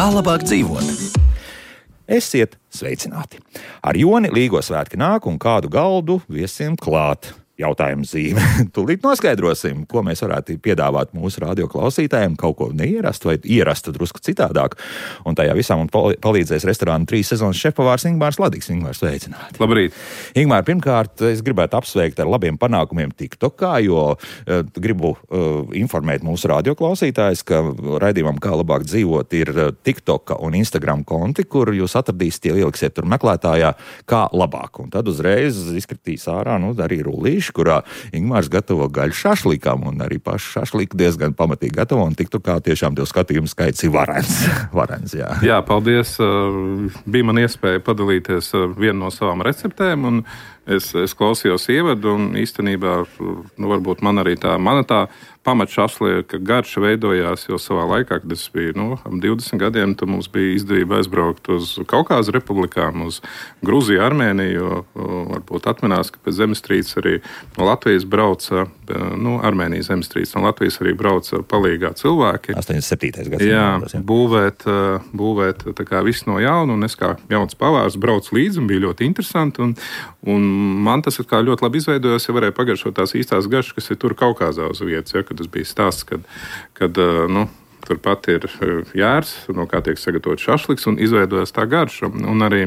Kā labāk dzīvot? Esiet sveicināti! Ar Joni Līgo svētki nāk un kādu galdu viesiem klāt. Jautājums zīme. Tūlīt noskaidrosim, ko mēs varētu piedāvāt mūsu radioklausītājiem, kaut ko neierastu vai ierastu drusku citādāk. Un tajā visā mums palīdzēs restorāna 3 sezonas šefpavārs Ingmārs Ladīgs. Ingmārs, sveicināti! Labrīt! Ingmār, pirmkārt, es gribētu apsveikt ar labiem panākumiem TikTokā, jo gribu informēt mūsu radioklausītājus, ka raidījumam Kā labāk dzīvot ir TikToka un Instagram konti, kur jūs atradīsiet, ieliksiet tur meklētājā Kā labāk. Un tad uzreiz izkritīs ārā, arī rullīši, kurā Ingmārs gatavo gaļu šašlikam, un arī pašu šašliku diezgan pamatīgi gatavo, un TikTokā tiešām tev skatījumu skaits ir varens, jā. Jā, paldies. Bija man iespēja padalīties vienu no savām receptēm, un es klausījos ievadu, un īstenībā, varbūt mana pamatšašlieka garša veidojās jau savā laikā, kad es biju, 20 gadiem, tad mums bija izdevība aizbraukt uz Kaukāza republikām, uz Gruziju, Armēniju, jo varbūt atminās, ka pēc zemestrīces arī no Latvijas brauca, Armēnijas zemestrīces, no Latvijas arī brauca palīgā cilvēki. 87. gads. Jā, būvēt tā kā viss no jauna, un es kā jauns pavārs braucu līdzi, un bija ļoti interesanti, un man tas kā ļoti labi izveidojās, ja varēja pagaršot tās īstās garšas, kas ir tur Kaukāzā uz vietas, ja, kad tas bija stāsts, kad turpat ir jērs, no kā tiek sagatavot šašliks, un izveidojas tā garša. Un arī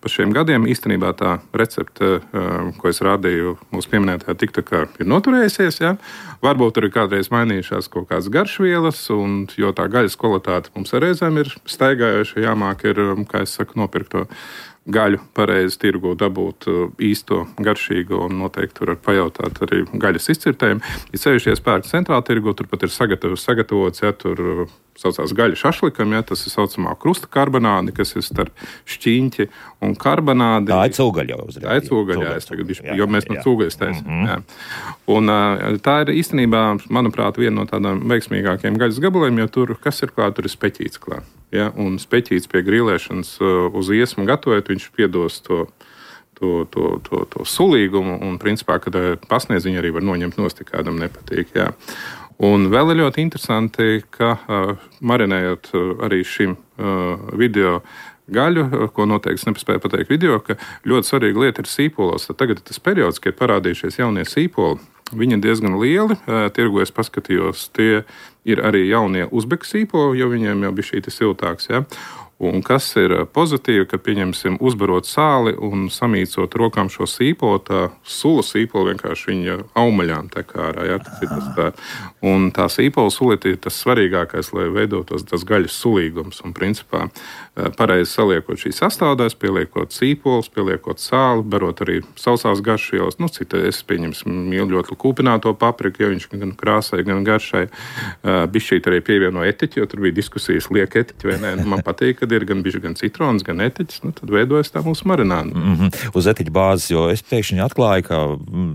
pa šiem gadiem īstenībā tā recepte, ko es rādīju mūsu pieminētajā TikTokā, ir noturējusies. Ja? Varbūt arī kādreiz mainījušās kaut kādas garšvielas, jo tā gaļas kvalitāte mums reizēm ir staigājoša, jāmāk ir, kā es saku, nopirkt to gaļu pareizi tirgu, dabūt īsto garšīgo, un noteikti tur var pajautāt arī gaļas izcirtējumu. Ir sevišķi pērk centrāla tirgu, tur pat ir sagatavots, ja tur saucās gaļa šašlikam, ja tas ir saucamā krusta karbonādi, kas ir starp šķīņķi un karbonādi. Tā ir cūgaļa jau uzreiz. Tā ir cūgaļa, jo mēs no cūgaļas taisam. Jā. Un tā ir īstenībā, manuprāt, viena no tādām veiksmīgākajiem gaļas gabaliem, jo tur, kas ir klāt, tur ir speķīts klāt. Ja, un speķīts pie grilēšanas uz iesmu gatavojot, viņš piedos to sulīgumu, un principā, kad pasniedz, viņi arī var noņemt nost, ja kādam nepatīk. Jā. Un vēl ir ļoti interesanti, ka marinējot arī šim video gaļu, ko noteikti es nepaspēju pateikt video, ka ļoti svarīga lieta ir sīpolos. Tad tagad ir tas periods, kad ir parādījušies jaunie sīpoli. Viņi ir diezgan lieli, tirgu es paskatījos, tie ir arī jaunie uzbeku sīpoli, jo viņiem jau bija šī siltāks, ja? Un kas ir pozitīvi, ka, pieņemsim, uzbarot sāli un samīcot rokām šo sīpolu, tā sula sīpola vienkārši viņa aumaļām tek ārā. Ja? Un tā sīpola sulīte ir tas svarīgākais, lai veidotos tas gaļas sulīgums. Un, principā, pareizi saliekot šīs sastāvdaļas, pieliekot sīpolus, pieliekot sāli, barot arī sausās garšvielas. Cita es, pieņemsim, mīlu ļoti kūpināto papriku, jo viņš gan krāsai, gan garšai. Bišķīt arī pievieno etiķi, jo tur bija diskusijas, liek etiķi vai nē. Man patīk, kad ir gan citrons, gan etiķis, tad veidojas tā mūsu marināda. Uz etiķa bāzes, jo es pēkšņi atklāju, ka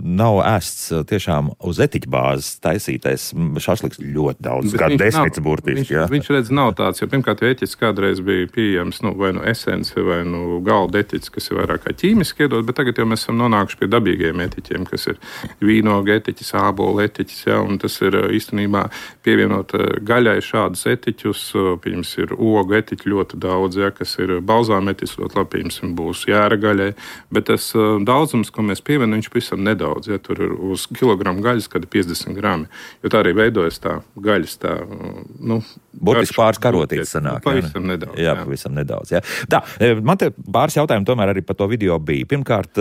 nav ēsts tiešām uz etiķa bāzes taisītais šašliks ļoti daudz, kā desmits burtiski. Viņš redz, nav tāds, jo pirmkārt etiķis kādreiz bija pieejams, vai nu esence, vai nu galda etiķis, kas ir vairāk kā ķīmiski iedot, bet tagad jau mēs esam nonākuši pie dabīgiem etiķiem, kas ir vīnoga etiķis, ābola etiķis, ja, un tas ir īstenībā pievienot gaļai šādus etiķus, pirms ir ogu etiķi ļoti daudz, ja, kas ir balzāmetis, ļoti labi, piemēram, būs jēra gaļai, bet tas daudzums, ko mēs pievienam, viņš pavisam nedaudz, ja, tur ir uz kilogramu gaļas, kad ir 50 grami, jo tā arī veidojas tā gaļas, tā, burtiski pāris karotītes sanāk. Pavisam nedaudz. Jā, pavisam nedaudz, jā. Tā, man te pāris jautājumi tomēr arī par to video bija. Pirmkārt,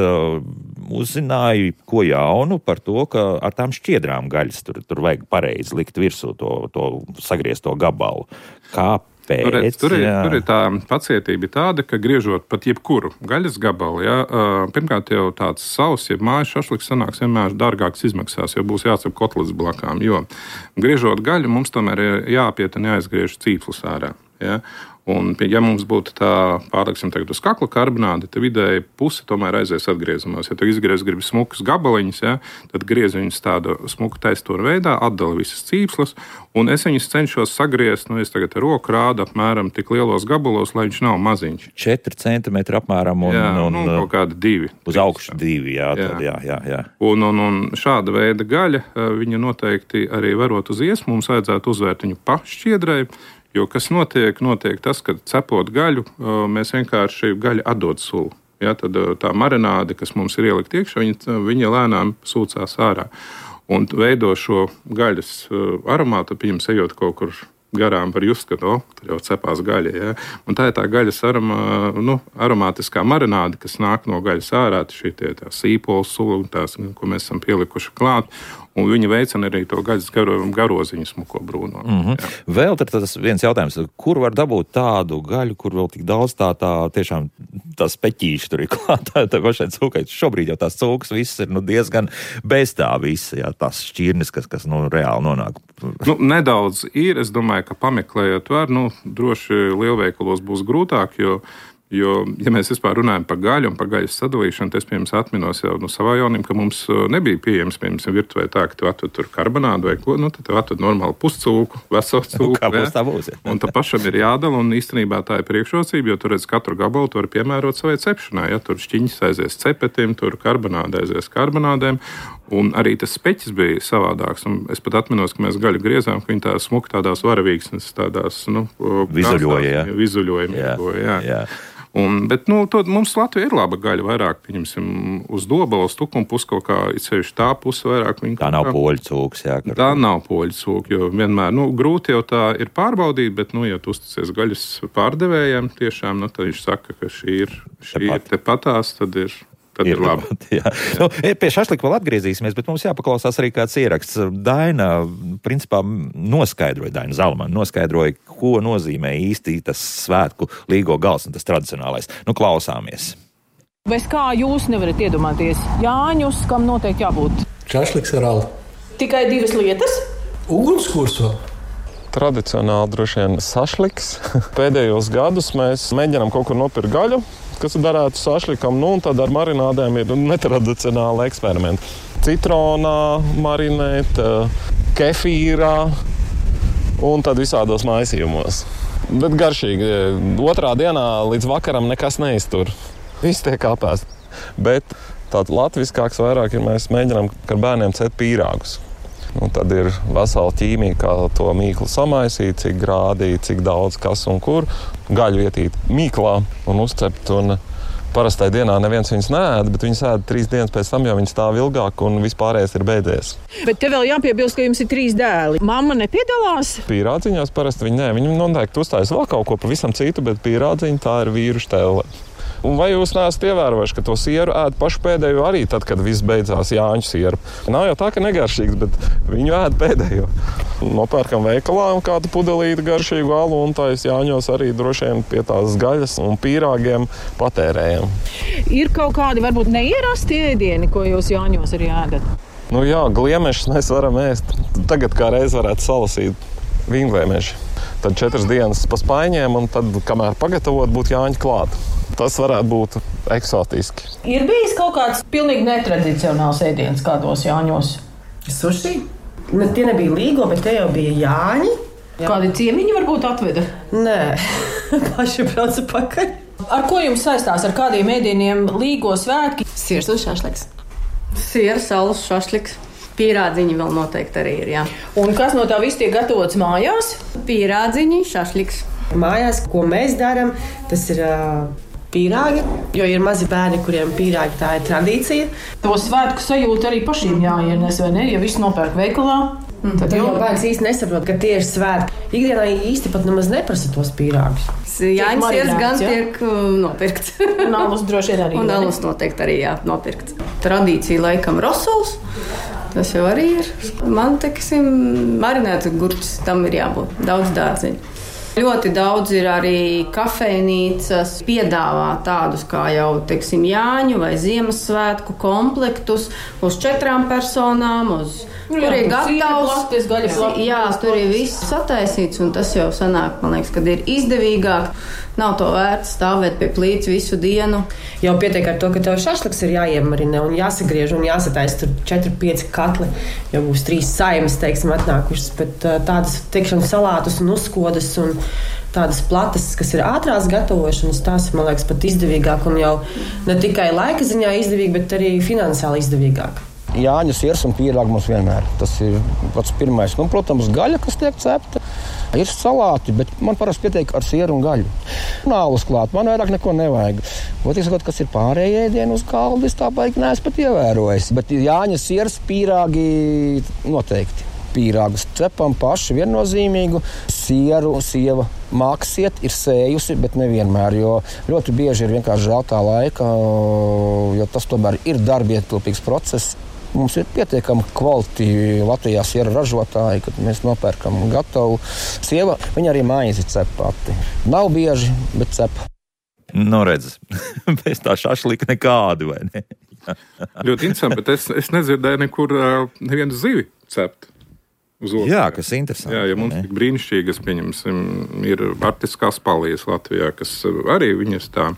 uzzināju, ko jaunu par to, ka ar tām šķiedrām gaļas tur vajag pareizi likt virsū to sagriezto gabalu. Tur ir tā pacietība tāda, ka griežot pat jebkuru gaļas gabalu, ja, pirmkārt jau tāds savs, ja mājas šašliks sanāks vienmēr dārgāks izmaksās, jo būs jācep kotlets blakām, jo griežot gaļu mums tomēr ir jāapiet un jāizgriež cīpslus ārā. Ja? Un, ja mums būtu tā, pārliksim tagad uz kakla karbonādi, tad vidēji pusi tomēr aizies atgriezumos. Ja tu gribi smukus gabaliņus, ja, tad griez viņus tādu smuku taisturu veidā, atdala visas cīpslas, un es viņus cenšos sagriezt, es tagad ar roku rādu apmēram tik lielos gabalos, lai viņš nav maziņš. 4 centimetri apmēram un kaut kādi 2. Uz augšu 2, jā. Un šāda veida gaļa, viņa noteikti arī varot uz iesmu, mums vajadzētu uzvērt viņu pa šķiedrai, Jo kas notiek tas, ka cepot gaļu, mēs vienkārši gaļu atdod sulu. Ja, tad tā marināde, kas mums ir ielikt iekšā, viņa lēnām sūcās ārā un veido šo gaļas aromātu, pieņems ejot kaut kur garām var just, ka tur jau cepās gaļa. Ja? Un tā ir tā gaļas aromātiskā marināde, kas nāk no gaļas ārā, šī tā sīpola sula, tās, ko mēs esam pielikuši klāt. Un viņi veicina arī to gaļas garoziņu smuko brūno. Vēl tas viens jautājums, kur var dabūt tādu gaļu, kur vēl tik daudz tā tiešām tās peķīši tur ir klātā, tā pašai cūkai. Šobrīd jau tās cūkas viss ir diezgan bez tā visa, jā, tās šķirnes, kas reāli nonāk. Nedaudz ir, es domāju, ka pameklējot var, droši lielveikalos būs grūtāk, Jo, ja mēs vispār runājam par gaļu un par gaļas sadalīšanu, es, piemēram, atminos jau no savā jaunība, ka mums nebija pieejams, piemēram, virtuvē tā, ka tu atved tur karbonādu vai ko, tad tu atved normālu puscūku, veselu cūku. Kā būs tā būs? Un tā pašam ir jādala, un īstenībā tā ir priekšrocība, jo tur redz katru gabalu, tu vari piemērot savai cepšanai. Ja? Tur šķiņas aizies cepetim, tur karbonāda aizies karbonādēm. Un arī tas speķis bija savādāks. Un es pat atminos, ka mēs gaļu griezām, ka viņi tā smuki tādās varavīksnes, tādās, vizuļoja. Jā. Bet mums Latvijā ir laba gaļa, vairāk, pieņemsim, uz dobalas, tukuma pusi kaut kā, ceļš tā puse vairāk. Tā nav poļu cūks, jā. Tā nav poļu cūka, jo vienmēr, grūti jau tā ir pārbaudīt, bet, ja tu uzticies gaļas pārdevējiem, tiešām, tad viņš saka, ka šī ir tepatās, tad ir labi. Jā. Pie šašlika vēl atgriezīsimies, bet mums jāpaklausās arī kāds ieraksts. Daina, principā, Daina Zalmana noskaidroja, ko nozīmē īsti tas svētku līgo gals un tas tradicionālais. Klausāmies. Bez kā jūs nevarat iedomāties Jāņus, kam noteikti jābūt? Šašliks ar alu. Tikai 2 lietas? Ugunskurs vēl. Tradicionāli droši vien sašliks. Pēdējos gadus mēs mēģinām kaut kur nopirkt gaļu, kas darētu sašlikam, un tad ar marinādēm ir netradicionāli eksperimenti. Citronā marinēt, kefīrā un tad visādos maisījumos. Bet garšīgi. Otrā dienā līdz vakaram nekas neiztur. Viss tiek apēst. Bet tāds latviskāks vairāk ir, mēs mēģinām ar bērniem cept pīrāgus. Tad ir vesela ķīmija, kā to mīklu samaisīt, cik grādī, cik daudz, kas un kur. Gaļu ietīt mīklā un uzcept. Un parastai dienā neviens viņas neēd, bet viņas ēd 3 dienas pēc tam, jo viņas stāv ilgāk un vispārējais ir beidzies. Bet te vēl jāpiebilst, ka jums ir 3 dēli. Mamma nepiedalās? Pīrādziņās parasti viņi noteikti uzstājas vēl kaut ko pavisam citu, bet pīrādziņa tā ir vīru štēle. Un vai jūs neesat ievērojuši, ka to sieru ēd pašu pēdējo arī tad, kad viss beidzās Jāņu sieru? Nav jau tā, ka negaršīgs, bet viņu ēd pēdējo. Nopērkam veikalā kādu pudelīti garšīgu alu un tais Jāņos arī droši vien pie tās gaļas un pīrāgiem patērējam. Ir kaut kādi varbūt neierasti ēdieni, ko jūs Jāņos arī ēdat? Jā, gliemešus mēs varam ēst. Tagad kā reiz varētu salasīt vīngliemeši. Tad 4 dienas pa spaiņiem un tad, kamēr pagatavot, būtu Jāņi klāt. Tas varētu būt eksotiski. Ir bijis kaut kāds pilnīgi netradicionāls ēdiens kādos Jāņos? Suši? Tie nebija līgo, bet te jau bija Jāņi. Kādi ciemiņi varbūt atveda? Nē, paši brauca pakaļ. Ar ko jums saistās, ar kādiem ēdieniem līgo svētki? Siers un šašliks. Siers, alus, šašliks. Pīrādziņi vēl noteikti arī ir, jā. Un kas no tā viss tiek gatavots mājās? Pīrādziņi, šašliks. Mājās, ko mēs darām, tas ir pīrāgi, jo ir mazi bērni, kuriem pīrāgi tā ir tradīcija. To svētku sajūta arī pašiem jāienes, vai ne? Ja viss nopērk veikalā, tad jau bērns īsti nesaprot, ka tie ir svētki. Ikdienā īsti pat nemaz neprasa tos pīrāgus. Jāņas siers gan tiek nopirkts. Un alus droši vien arī. Un alus noteikti arī nopirkts. Tradīcija laikam rosols. Tas jau arī ir. Man, teiksim, marinēts gurķis, tam ir jābūt. Daudz dārziņu. Ļoti daudz ir arī kafejnīcas, piedāvā tādus kā jau, teiksim, Jāņu vai Ziemassvētku komplektus uz 4 personām, tur ir gatavs. Jā, tur ir viss sataisīts, un tas jau sanāk, man liekas, kad ir izdevīgāk. Nav to vērts stāvēt pie plīts visu dienu. Jau pietiek ar to, ka tev šašliks ir jāiemarina un jāsagriež un jāsataisa tur 4-5 katli, jo būs 3 saimes, teiksim, atnākušas, bet tādas, teiksim, salātus un uzkodas un tādas platas, kas ir ātrās gatavošanas, tās, man liekas, pat izdevīgāk un jau ne tikai laika ziņā izdevīgi, bet arī finansiāli izdevīgāk. Jāņu siers un pīrāgi mums vienmēr. Tas ir pats pirmais. Protams, gaļa, kas tiek cepta. Ir salāti, bet man parasti pietiek ar sieru un gaļu. Nālus klāt, man vairāk neko nevajag. Ot, sakot, kas ir pārējie ēdieni uz galda, es tā baigi neesmu pat ievērojis. Bet Jāņa sieras pīrāgi noteikti. Pīrāgus cepam paši viennozīmīgu. Sieru sieva māksiet ir sējusi, bet nevienmēr, jo ļoti bieži ir vienkārši žēl tā laika, jo tas tomēr ir darbietilpīgs process. Mums ir pietiekami kvalitīvi Latvijā sieru ražotāji, kad mēs nopērkam gatavu. Sieva, viņa arī maizi cep pati. Nav bieži, bet cep. Nu, redz, bez tā šašlika nekādi, vai ne? Ļoti interesanti, bet es nedzirdēju nekur nevienu zivi cept. Jā, kas interesanti. Jā, ja mums tik brīnišķīgas, pieņemsim, ir artiskās palijas Latvijā, kas arī viņas tā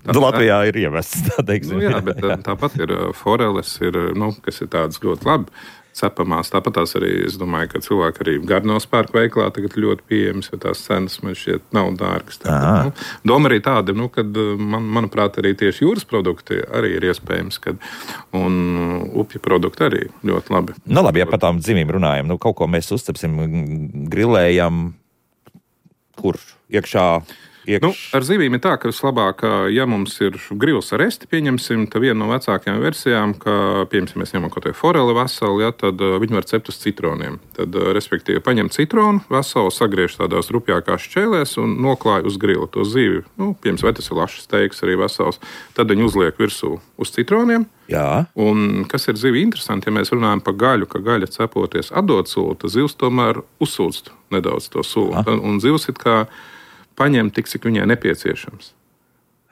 Latvijā ir ievests, tā teiksim. Nu, jā, bet tāpat ir foreles, kas ir tādas ļoti labi cepamās. Tāpat tās arī, es domāju, ka cilvēki arī Gardenovas pērk veiklā tagad ļoti pieejamas, jo tās cenas man šķiet nav dārgas. Doma arī tāda, kad manuprāt arī tieši jūras produkti arī ir iespējams, un upju produkti arī ļoti labi. Nu labi, ja par tām zivīm runājam, kaut ko mēs uzcepsim, grilējam, kur iekšā? Ar zivīm ir tā, ka vislabāk, ja mums ir grils ar esti, pieņemsim, tad viena no vecākajām versijām, ka, piemēram, mēs ņemam kaut kādu foreli veselu, tad viņi var cept uz citroniem. Tad, respektīvi, paņem citronu veselu, sagriež tādās rupjākās šķēlēs un noklāj uz grila to zivi. Piemēram, vai tas ir lašas steiks arī vesels, tad viņi uzliek virsū uz citroniem. Jā. Un kas ir zivi interesanti, ja mēs runājam par gaļu, ka gaļa cepoties atdod sulu, tad zivs tomēr uzsūdz nedaudz to sulu. Un zivs it kā paņemt tik, cik viņai nepieciešams.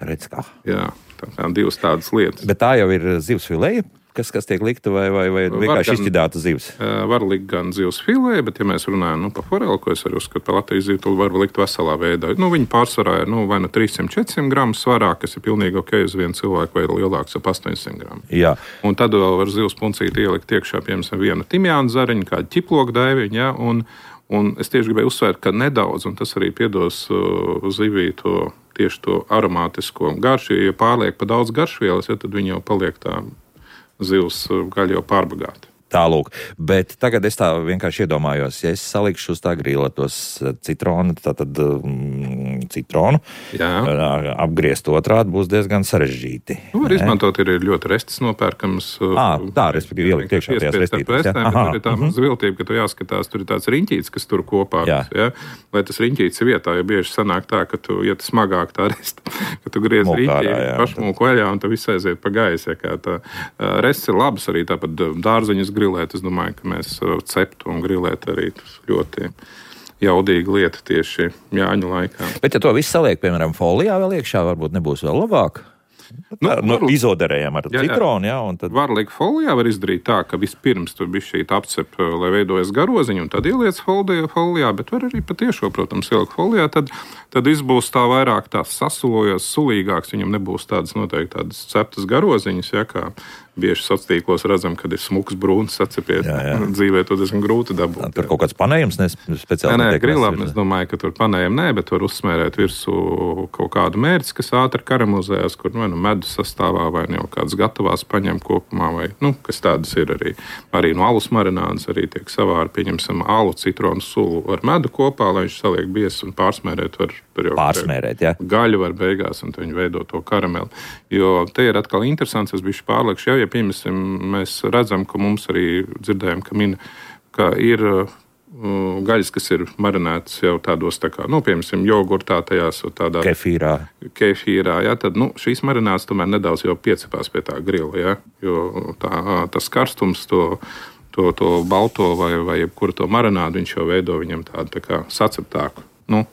Redz kā. Jā, tā kā divas tādas lietas. Bet tā jau ir zivs filēja, kas tiek likta vai vienkārši izķidāta zivs? Var likt gan zivs filēja, bet ja mēs runājam par foreli, ko es arī uzskatu par Latvijas zivu, tad var likt veselā veidā. Viņi pārsvarā ir vai 300-400 gramu svarā, kas ir pilnīgi ok uz vienu cilvēku, vai lielāks ap 800 gramu. Jā. Un tad vēl var zivs puncīti ielikt iekšā, piemēram, vienu timjānu zariņu, kādu ķiploku daiviņu, ja, un es tieši gribēju uzsvērt, ka nedaudz, un tas arī piedos zivī tieši to aromātisko garšu. Ja pārliek pa daudz garšvielas, tad viņi jau paliek tā zivs gaļa jau pārbagāta. Tālūk, bet tagad es tā vienkārši iedomājos, ja es salikšu uz tā grila tos citronu, citronu, apgriezt otrādi būs diezgan sarežģīti. Var izmantot, ir ļoti restis nopērkams. Tā, respektīvi, ielikt iekšā tajās restītēs. Tur ir tā zviltība, ka tu jāskatās, tur ir tāds riņķīts, kas tur kopā. Ja? Vai tas riņķīts ir vietā, jo bieži sanāk tā, ka tu, ja tas smagāk tā resta, ka tu griez riņķīti pašmūku vaļā un tu viss aiziet pa gaisu. Ja, tā restis ir labas arī tāpat dārzeņas grilēt. Es domāju, ka mēs ceptu un grilēt arī ļoti jaudīga lieta tieši Jāņu laikā. Bet ja to visu saliek, piemēram, folijā vēl iekšā, varbūt nebūs vēl labāk? Izoderējam ar citronu, un tad... Var likt folijā, var izdarīt tā, ka vispirms tur bišķīt apcep, lai veidojas garoziņu, un tad ieliec folijā, bet var arī patiešo, protams, ielikt folijā, tad izbūs tā vairāk tā sasulojos, sulīgāks, viņam nebūs tādas noteikti tādas ceptas garoziņas, kā bieži sociālos redzam, kad ir smuks brūns sacepiet. Dzīvē to diezgan grūti dabūt. Tur kaut kāds panējums speciāli? Nē, grilām es domāju, ka tur panējumi bet var uzsmērēt virsū kaut kādu mērci, kas ātri karamelizējas, kur medus sastāvā vai jau kādas gatavās paņem kopumā, vai, kas tādas ir arī. Arī no alus marinādes arī tiek savāri, pieņemsim, alu citronu sulu ar medu kopā, lai viņš saliek biezs un pārsmērēt var. Gaļu var beigās, un viņi veido to karameli. Jo te ir atkal interesants, es bišķi pārliekšu, ja piemēram, mēs redzam, ka mums arī dzirdējam, ka ir gaļas, kas ir marinētas jau tādos, piemēram, jogurtā tajās, tādā kefīrā, tad šīs marinātas tomēr nedaudz jau piecepās pie tā grila, jo tas karstums to balto vai jebkuru to marinādu viņš jau veido viņam tādu tā kā saceptāku.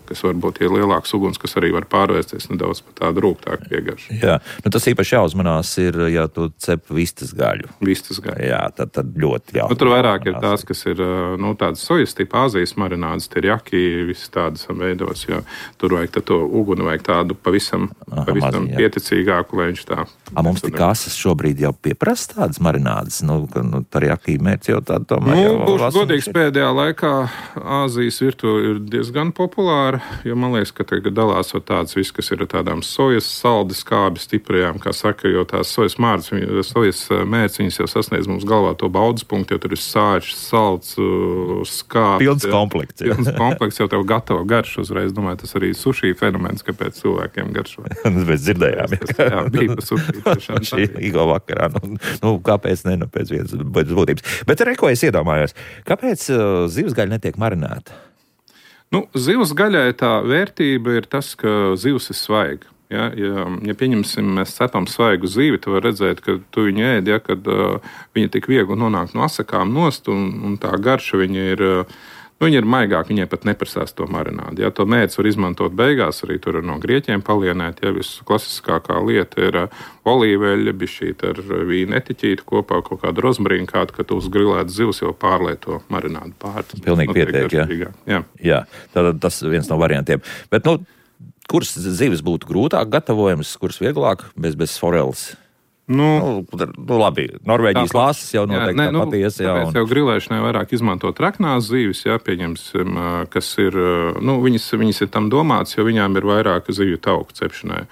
Kas varbūt ir lielāks uguns, kas arī var pārvērsties nedaudz par tādu rūgtāku piegaršu. Jā, tas īpaši jāuzmanās ir, ja tu cep vistas gaļu. Vistas gaļu. Jā, tad ļoti jāuzmanās. Tur vairāk ir tās, kas ir tādas sojas tipa Āzijas marinādes, terjaki, visas tādas veidos, jo tur vajag to uguni, vajag tādu pavisam pieticīgāku, lai viņš tā. Mums tik asas šobrīd jau pieprasa tādas marinādes, terjaki mērķi jau tādu tomēr. Būšu godīgs, pēdējā laikā Āzijas virtuve ir diezgan populāra. populāra, jo man liekas, ka tagad dalās vēl tādas viss, kas ir tādām sojas saldi skābi stiprajām, kā saka, jo tās sojas mērķis, viņas jau sasniedz mums galvā to baudas punktu, jo tur ir sāļš, salds, skābi. Pilns komplekts. Pilns komplekts jau tev gatavo garšu uzreiz. Domāju, tas arī suši fenomens, kāpēc cilvēkiem garšo. Mēs dzirdējām. Jā, bija pa suši. Šī Igo vakarā. Kāpēc ne? Pēc vienas būtības. Bet ko es iedomājos? Kāpēc zivsgaļa netiek marinēta? Zivs gaļai tā vērtība ir tas, ka zivs ir svaiga. Ja pieņemsim, mēs cepam svaigu zivi, tu vari redzēt, ka tu viņu ēd, kad viņa tik viegli nonāk no asakām nost, un tā garša viņa ir maigāka, viņai pat neprasās to marinādi. Ja, to mērķis var izmantot beigās, arī tur no grieķiem palienēt. Ja, visklasiskākā lieta ir olīveļa, bišķīt ar vīnu etiķīti kopā, kaut kādu rozmarīnu kādu, ka tu uz grilētas zivs jau pārlieto marinādu pār. Pilnīgi pietiek, jā. Tātad tas viens no variantiem. Bet, kuras zivis būtu grūtāk gatavojams, kuras vieglāk bez foreles? Labi, Norvēģijas lāses jau noteikti patiesi. Tāpēc jau grilēšanai vairāk izmantot raknās zivis, pieņemsim, kas ir, viņas ir tam domāts, jo viņām ir vairāk zivju tauku cepšanai.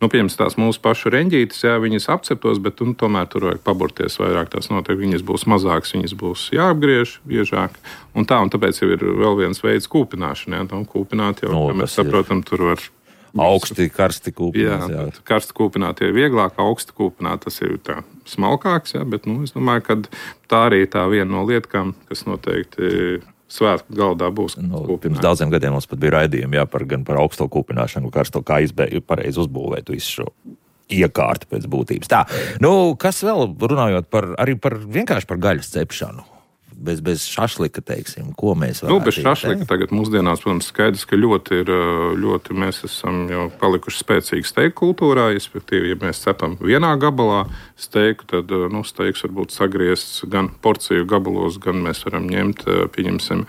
Pieņemsim tās mūsu pašu reņģītes, viņas apceptos, bet tomēr tur vajag paburties vairāk, tās noteikti viņas būs mazākas, viņas būs jāapgriež biežāk. Un tāpēc jau ir vēl viens veids kūpināšana, kūpināt jau, mēs saprotam, tur var augsti, karsti kūpināt. Jā. Karsti kūpināt ir vieglāk, augsti kūpināt tas ir tā smalkāks, bet es domāju, ka tā arī tā viena no lietkām, kas noteikti svētku galdā būs. Pirms daudziem gadiem mums pat bija raidījumi gan par augsto kūpināšanu, karsto, kā pareizi uzbūvēt visu šo iekārtu pēc būtības. Tā, kas vēl runājot vienkārši par gaļas cepšanu? Bez šašlika, teiksim, ko mēs varam bez šašlika tagad mūsdienās, protams, skaidrs, ka ļoti mēs esam jau palikuši spēcīgi steiku kultūrā, respektīvi, ja mēs cepam vienā gabalā steiku, tad steiks varbūt sagriezts gan porciju gabalos, gan mēs varam ņemt, pieņemsim,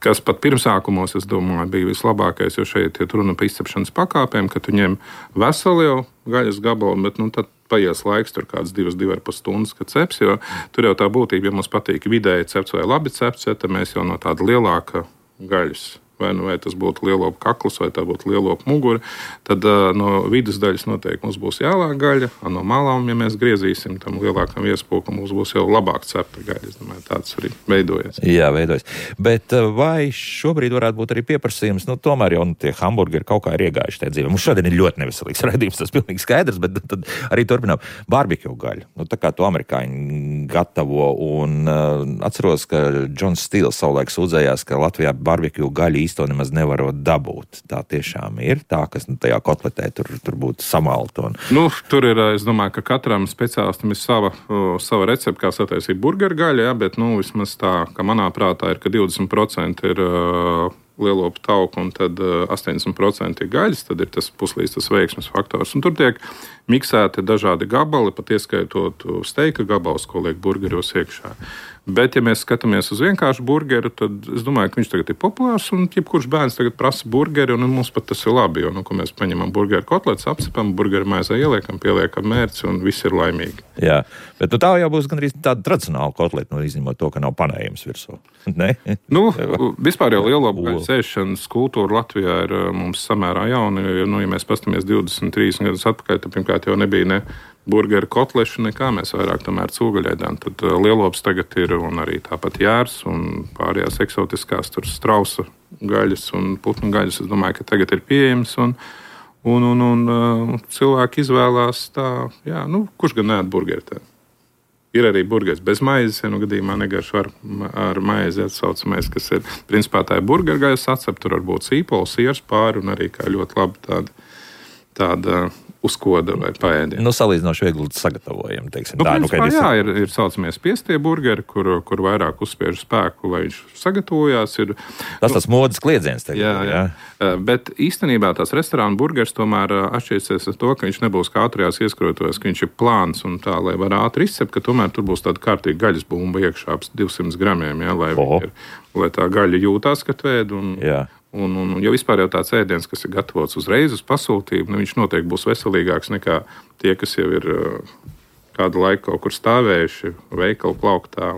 kas pat pirmsākumos, es domāju, bija vislabākais, jo šeit ir runa par izcepšanas pakāpēm, ka tu ņem veselu jau gaļas gabalu, bet tad paies laiks, tur kāds 2,5 stundas, kad ceps, jo tur jau tā būtība, ja mums patīk vidēji cepts vai labi cepts, tad mēs jau no tāda lielāka gaļas, vai tas būtu lielopu kakls, vai tā būtu lielopu mugura, tad no vidus daļas noteikti mums būs jālāk gaļa, no malām, ja mēs griezīsim tam lielākam iespūkam, mums būs jau labāk cepta gaļa. Es domāju, tāds arī veidojas. Jā, veidojas. Bet vai šobrīd varētu būt arī pieprasījums, tomēr jau tie hamburgeri kaut kā ir iegājuši tajā dzīvē. Mums šodien ir ļoti neveselīgs raidījums, tas pilnīgi skaidrs, bet tad arī turpinām barbekju gaļu. Tā kā to amerikāņi gatavo, un atceros, ka Džons Stīls savulaik sūdzējās, ka Latvijā barbekju gaļu to nemaz nevarot dabūt. Tā tiešām ir tā, kas tajā kotletē tur būtu samalta. Tur ir, es domāju, ka katram speciālistam ir sava recepte, kā sataisīt burgeru gaļu, bet vismaz tā, ka manā prātā ir, ka 20% ir lielopu tauku un tad 80% ir gaļas, tad ir tas puslīdz tas veiksmes faktors. Un tur tiek miksēti dažādi gabali, pat ieskaitot steika gabalus, ko liek burgeros iekšā. Bet, ja mēs skatāmies uz vienkāršu burgeru, tad es domāju, ka viņš tagad ir populārs, un jebkurš bērns tagad prasa burgeri, un mums pat tas ir labi, jo, ko mēs paņemam burgeru kotletes, apcepam, burgeru maizē ieliekam, pieliekam mērci, un viss ir laimīgi. Jā, bet tā jau būs gandrīz tāda tradicionāla kotleta, izņemot to, ka nav panējums virsū. Ne? Vispār jau lielopu gaļas ēšanas kultūra Latvijā ir mums samērā jauna, jo, ja mēs pastamies 20, 30 gadus atpakaļ, tad pirmkārt jau nebija ne burgeru kotlešu, nekā mēs vairāk tomēr cūgaļēdām. Tad lielops tagad ir, un arī tāpat jārs, un pārējās eksotiskās tur strausa gaļas un putnu gaļas. Es domāju, ka tagad ir pieejams, un cilvēki izvēlās tā, kurš gan neēd burgeri tā. Ir arī burgeris bez maizes, gadījumā negaršo ar maizi atsaucamais, kas ir, principā tā ir burgeru gaļas atcep, tur var būt sīpols, siers pāri, un arī kā ļoti labi tāda uzkoda vai paēdienu. Salīdzinoši viegli sagatavojam, teiksim. Ir saucamie spiestie burgeri, kur vairāk uzspiež spēku, lai viņš sagatavojās. Tas modes kliedziens. Jā. Bet īstenībā tās restorāna burgeris tomēr atšķirsies ar to, ka viņš nebūs kā ātrajās ieskrotos, ka viņš ir plāns un tā, lai var ātri izcept, ka tomēr tur būs tāda kārtīga gaļas bumba iekšā ap 200 gramiem, lai tā gaļa jūtās, ka tvēd. Un jau vispār jau tāds ēdiens, kas ir gatavots uzreiz uz pasūtījumu, viņš noteikti būs veselīgāks nekā tie, kas jau ir kādu laiku kaut kur stāvējuši veikalu plauktā.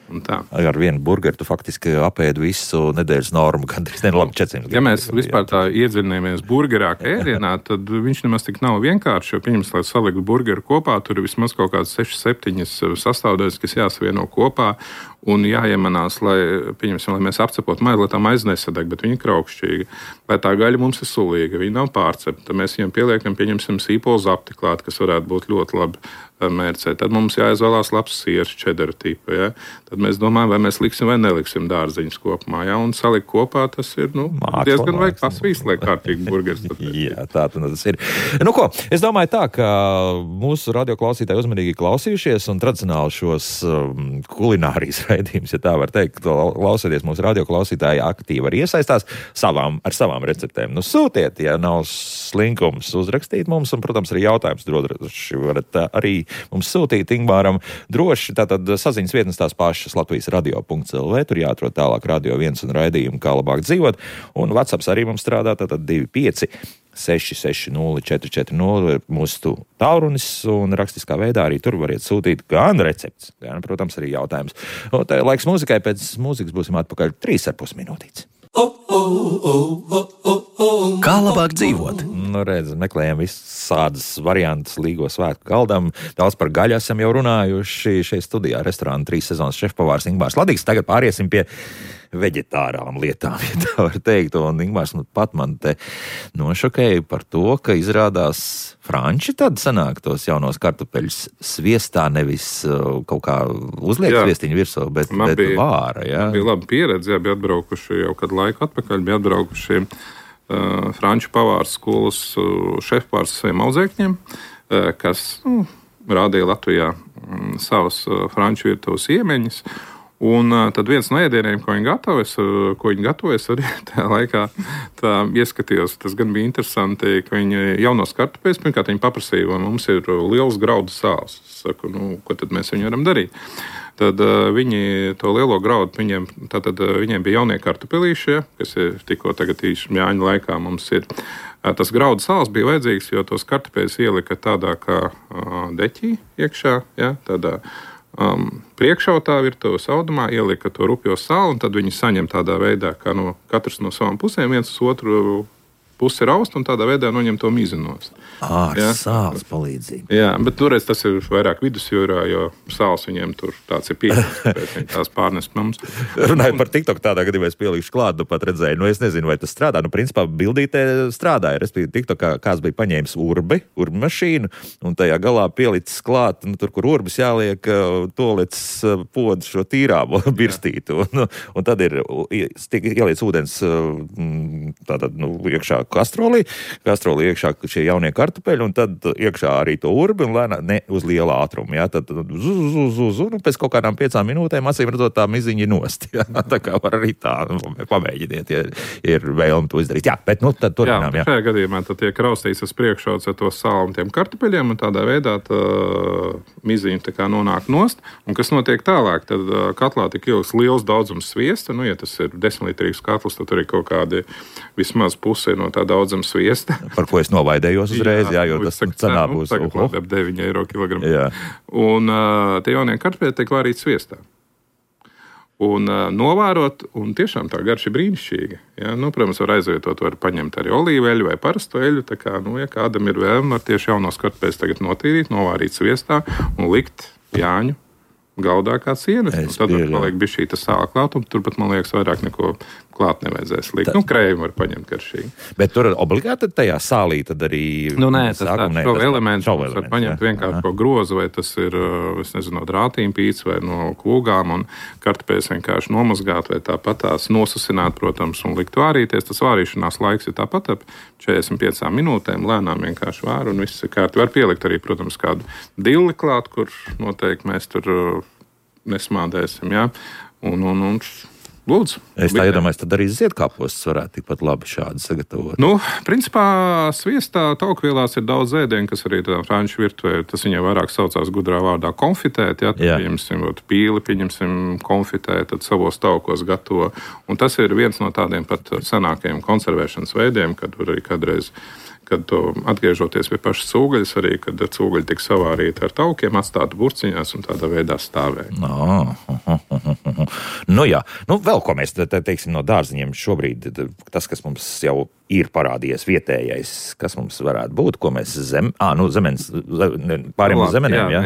Ar vienu burgeru tu faktiski apēdi visu nedēļas normu, gandrīz labi 400. Ja mēs vispār tā iedziļināmies burgerā ēdienā, tad viņš nemaz tik nav vienkārši, jo, pieņems, lai saliktu burgeru kopā, tur ir vismaz kaut kādas 6-7 sastāvdaļas, kas jāsavieno kopā, un jāiemanās, lai mēs apcepotu maizi, lai tā maize nesadeg, bet viņa ir kraukšķīga. Lai tā gaļa mums ir sulīga, viņa nav pārcepta. Mēs viņam pieliekam, pieņemsim, sīpolu zapti klāt, kas varētu būt ļoti labi mērcē. Tad mums jāizvēlās labs siers, čedara tipa. Ja? Tad mēs domājam, vai mēs liksim vai neliksim dārziņus kopumā. Ja? Un salikt kopā tas ir diezgan vajag pasvīst, lai kārtīgi burgers. Jā, tā tas ir. Nu ko, es domāju tā, ka mūsu radioklausītāji uzmanīgi klausījušies un tradicionāli šos kulinārijas raidījumus, ja tā var teikt, klausieties mūsu radioklausītāji aktīvi arī iesaistās ar savām receptēm. Nu, sūtiet, ja nav slinkums, uzrakstīt mums, un, protams, arī jautājums droši varat arī mums sūtīt Ingmāram droši. Tātad saziņas vietnes tās pašas Latvijas radio.lv, tur jāatrod tālāk Radio 1 un raidījumu, kā labāk dzīvot. Un WhatsApps arī mums strādā, tātad 25 660 440 mūsu tālrunis, un rakstiskā veidā arī tur variet sūtīt gan recepts, gan, protams, arī jautājums. Un tā laiks mūzikai, pēc mūzikas būsim atpakaļ 3,5 minūtītes. Kā labāk dzīvot? Nu, redz, meklējam visādas variantus Līgo svētku galdam. Daudz par gaļu esam jau runājuši šeit studijā. Restorāna 3 sezonas šefpavārs Ingmārs Ladīgs. Tagad pāriesim pie veģetārām lietām, ja tā var teikt. Un Ingmārs pat man te nošokēja par to, ka izrādās franči tad sanāk tos jaunos kartupeļus sviestā, nevis kaut kā uzliek sviestiņu virsū, bet vāra. Jā. Bija laba pieredze, bija atbraukuši jau kādu laiku atpakaļ, bija atbraukuši franču pavārs skolas šefpārs saviem audzēkņiem, kas rādīja Latvijā savas franču virtuves iemeņas. Un tad viens no ēdieniem, ko viņi gatavojas, arī tajā laikā ieskatījos. Tas gan bija interesanti, ka viņi jaunos kartupeļus, pirmkārt viņi paprasīja, vai mums ir liels graudu sāls. Es saku, ko tad mēs viņu varam darīt? Tad viņi to lielo graudu, viņiem bija jaunie kartupelīši, kas ir tikko tagad Jāņa laikā mums ir. Tas graudu sāls bija vajadzīgs, jo tos kartupeļus ielika tādā kā deķī iekšā, ja, tādā priekšautā virtuves audumā, ielika to rupjo sāli, un tad viņi saņem tādā veidā, kā katrs no savām pusēm, viens uz otru pusi raust, un tādā veidā noņem to mizinos. Sāls palīdzība. Jā, bet toreiz tas ir vairāk vidusjūrā, jo sāls viņiem tur tāds ir pieejams, tāpēc viņi tās pārnes mums. Runāju par TikTok tādā gadījumā, es pielikšu klāt, pat redzēju, es nezinu, vai tas strādā. Principā bildītē strādāja, respektīvi TikTokā kāds bija paņēmis urbi mašīnu, un tajā galā pielicis klāt, tur, kur urbis jāliek, tolets podu šo tīrāmo birstītu, un tad ir ieliec ūdens tātad, iekšā kastrolī iekšā šie jaunie kartupeļi, un tad iekšā arī to urbi, un lēnā ne uz liela ātruma, jā, tad un pēc kaut kādām 5 minūtēm acīm redzot tā miziņa nost, jā, tā kā var arī tā, pamēģiniet, ja ir vēlme to izdarīt, jā, bet tad turpinām, jā. Šajā gadījumā tad tiek raustīts uz priekšauts ar to sālu un tiem kartupeļiem, un tādā veidā tā miziņa tā kā nonāk nost, un kas notiek tālāk, tad katlā tik ilgs liels daudzums sviesta, ja tas ir 10-litrīgs katls, tad tur ir kaut kādi vismaz pusi no tā daudzuma sviesta. Par ko es novaidējos uzreiz, jo tas cenā būs. Tagad ap 9 eiro kilogramu. Jā. Un tie jaunie kartupeļi tiek vārīti sviestā. Un novārot, un tiešām tā garša ir brīnišķīga. Ja? Protams, var aizvietot, var paņemt arī olīveļu vai parasto eļu, tā kā, ja kādam ir vēlme, var tieši jaunos kartupeļus tagad notīrīt, novārīt sviestā un likt Jāņu galdā kā cienas. Tad paliek bišķī tas sāla klāt, un turpat, man liekas, vairāk neko klāt nevajadzēs likt. Krējumu var paņemt garšīgi. Bet tur obligāti tajā sālī tad arī... Nē, šo elementu var paņemt vienkārši ko grozu, vai tas ir, es nezinu, no drātīm pīts vai no kūgām, un kartupeļus vienkārši nomazgāt vai tāpat tās nosasināt, protams, un likt vārīties. Tas vārīšanās laiks ir tāpat ap 45 minūtēm, lēnām vienkārši vāru, un viss ir kārti. Var pielikt arī, protams, kādu dilli klāt, kur noteikti mēs tur nesmādēsim, jā. Un lūdzu. Es tā iedomājos, tad arī ziedkāpostus varētu tikpat labi šādi sagatavot. Principā sviestā taukvielās ir daudz ēdienu, kas arī tā franču virtuvē, tas viņai vairāk saucās gudrā vārdā konfitēt, ja, tad pieņemsim pīli, konfitēt, tad savos taukos gatavo. Un tas ir viens no tādiem pat senākajiem konservēšanas veidiem, kad arī kādreiz kad atgriežoties pie pašas cūgaļas, arī kad cūgaļa tika savārīta ar taukiem, atstāta burciņās un tādā veidā stāvēja. Nu jā, vēl ko mēs teiksim no dārziņiem šobrīd, tas, kas mums jau ir parādījies vietējais, kas mums varētu būt, ko mēs zemenes, pāriem uz zemenēm, jā?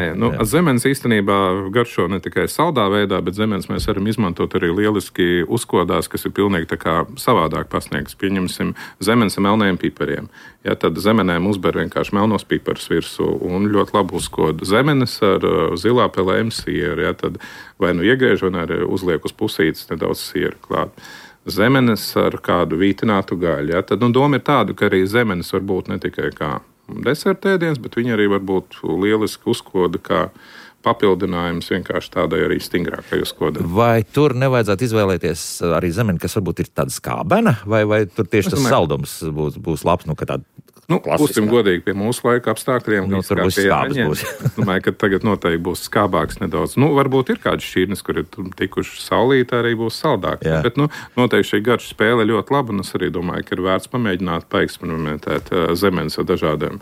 Zemenes īstenībā garšo ne tikai saldā veidā, bet zemenes mēs varam izmantot arī lieliski uzkodās, kas ir pilnīgi tā kā savādāk pasniegts. Pieņemsim zemenes ar melniem pipariem. Ja, tad zemenēm uzber vienkārši melnos piparus virsū un ļoti labi uzkoda. Zemenes ar zilā pelēm sieru, ja, tad vai nu iegriež, vai arī uzliek uz pusītes nedaudz sieru klāt. Zemenes ar kādu vītinātu gaļu. Ja? Tad doma ir tāda, ka arī zemenes var būt ne tikai kā desertēdiens, bet viņi arī var būt lieliski uzkoda kā papildinājums vienkārši tādai arī stingrākai uzkodai. Vai tur nevajadzētu izvēlēties arī zemeni, kas varbūt ir tāda skābena, vai tur tieši tas saldums būs labs, ka tāda būsim godīgi pie mūsu laika apstākļiem. Tur būs skābas. Es domāju, ka tagad noteikti būs skābāks nedaudz. Varbūt ir kādas šķirnes, kur ir tikuši saulītā, arī būs saldāk. Bet noteikti šī garša spēle ļoti laba, un es arī domāju, ka ir vērts pamēģināt paeksperimentēt zemenes ar dažādiem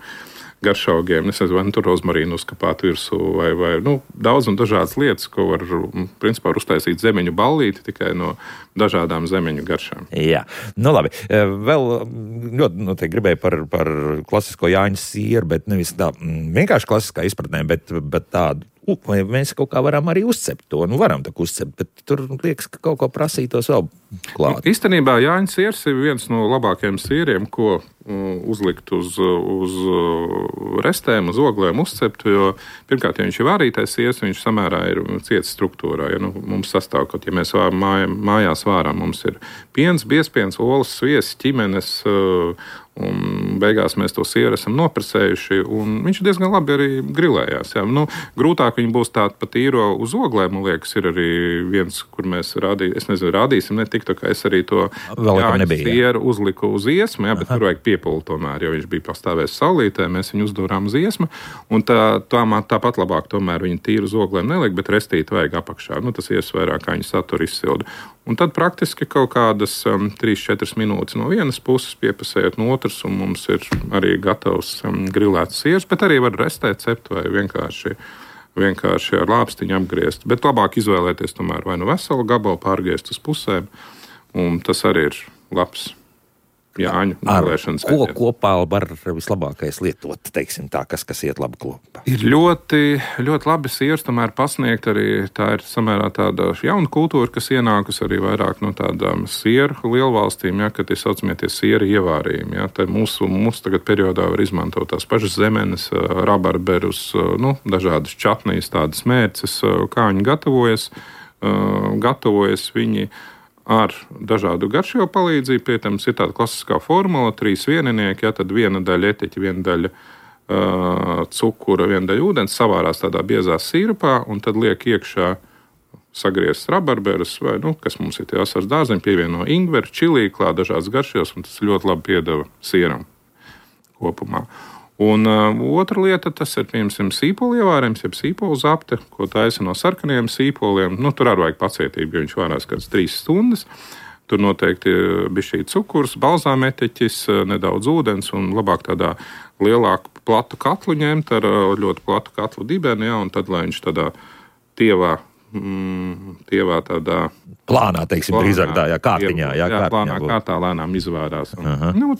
garšaugiem. Es nezinu, vai tur rozmarīnu uzkapāt virsū vai daudz un dažādas lietas, ko var, principā, uztaisīt zemeņu ballīti tikai no dažādām zemeņu garšām. Jā, labi. Vēl ļoti noteikti gribēju par klasisko Jāņa sieru, bet nevis tā vienkārši klasiskā izpratnē, bet tādu. Vai mēs kaut kā varam arī uzcept to? Varam tā uzcept, bet tur liekas, ka kaut ko prasītos vēl klāt. Īstenībā Jāņa siers ir viens no labākajiem sieriem, ko uzlikt uz restēm, uz oglēm uzcept, jo pirmkārt, ja viņš ir vārītais siers, viņš samērā ir ciets struktūrā. Ja mums sastāv, ja mēs mājās vārām, mums ir piens, biezpiens, olas, sviests, ķimenes, un beigās mēs to sieru esam noprasējuši, un viņš diezgan labi arī grilējās. Jā. Grūtāk viņi būs tādi pa tīro uz oglēm, man liekas, ir arī viens, kur mēs rādīsim, ne tik tā kā es arī to Jāņa sieru uzliku uz iesmu, bet tur vajag piepulu tomēr, jo viņš bija pastāvēs saulītē, mēs viņu uzdūrām uz iesmu, un tāpat labāk tomēr viņu tīru uz oglēm neliek, bet restīt vajag apakšā. Tas ies vairāk, kā viņa satura izsilda. Un tad praktiski kaut kādas 3-4 minūtes no vienas puses piepasējot no otras, un mums ir arī gatavs grilēts siers, bet arī var restēt, cept vai vienkārši ar lāpstiņu apgriezt. Bet labāk izvēlēties tomēr vai nu veselu gabalu pārgriezt uz pusēm, un tas arī ir labs Jāņu grilēšanas veids. Ko kopā var vislabākais lietot, teiksim tā, kas iet labi kopā? Ir ļoti, ļoti labi siers tomēr pasniegt arī, tā ir samērā tāda jauna kultūra, kas ienākus arī vairāk no tādām sieru lielvalstīm, kad ir saucamie sieri ievārījumi. Te mūsu tagad periodā var izmantot tās pašas zemenes, rabarberus, dažādas čatnijas, tādas mērces, kā viņi gatavojas viņi ar dažādu garšīgo palīdzību. Pietams, ir tāda klasiskā formula, 3 vieninieki, tad viena daļa eteķa, viena daļa cukura, viena daļa ūdens, savārās tādā biezā sīrupā, un tad liek iekšā sagriezts rabarberus, vai, kas mums ir tie asars dārzeņi, pievieno ingveru, čilī, klāt dažādas garšīgos, un tas ļoti labi piedeva sieram kopumā. Un otra lieta, tas ir, piemēram, sīpolu ievārījums, jeb sīpolu zapte, ko taisa no sarkaniem sīpoliem. Tur arī vajag pacietību, jo viņš vārās kāds 3 stundas. Tur noteikti bišķī cukurs, balzāmeteķis, nedaudz ūdens un labāk tādā lielāku platu katlu ņemt ar ļoti platu katlu dibeni, un tad, lai viņš tādā tievā tādā plānā, teiksim, drīzāk tā, kārtiņā. Plānā kārtā lēnām izvērās.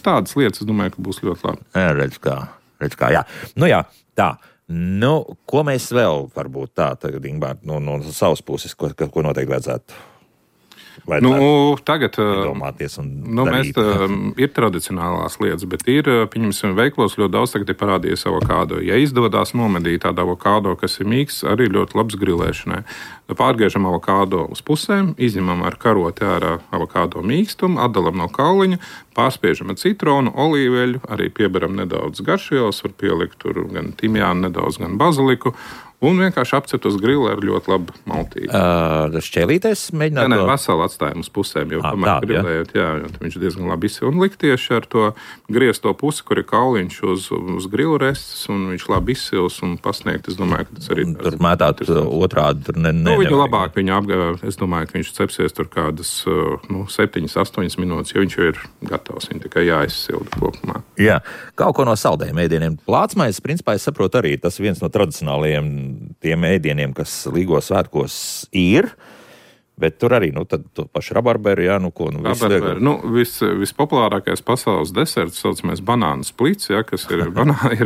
Tādas lietas, es domāju, ka būs ļoti labi. Redz kā, jā. Jā, tā. Ko mēs vēl varbūt tā, tagad, Ingbār, no savas puses, ko noteikti vajadzētu? Tagad domāties un darīt. Ir tradicionālās lietas, bet ir, pieņemsim, veiklos ļoti daudz tagad ir parādījies avokādo. Ja izdodās nomedīt tādu avokādo, kas ir mīksts, arī ļoti labs grilēšanai. Pārgriežam avokādo uz pusēm, izņemam ar karoti ārā avokādo mīkstumu, atdalam no kauliņa, pārspiežam ar citronu, olīveļu, arī pieberam nedaudz garšvielas, var pielikt tur gan timjānu nedaudz, gan baziliku, Un vienkārši apcept uz grila ar ļoti labu maltīti. Šķēlīties mēģināt? Nē, veselu atstājumu uz pusēm, jo tomēr grilējot, viņš diezgan labi izsil. Un likt tieši ar to griezto pusi, kur ir kauliņš uz grilu restes, un viņš labi izsils un pasniegt. Es domāju, ka tas arī... Tur mētāt otrādi, tur Viņu labāk viņa apgāja. Es domāju, ka viņš cepsies tur kādas 7-8 minūtes, jo viņš jau ir gatavs. Viņa tikai jāizsilda kopumā. Jā, kaut ko no saldējiem ēdieniem. Plācmais, principā, es saprotu arī, tas viens no tradicionālajiem tiem ēdieniem, kas Līgo svētkos ir, bet tur arī, tad paši rabarberu, vispopulārākais pasaules deserts saucamais banānu splits, kas ir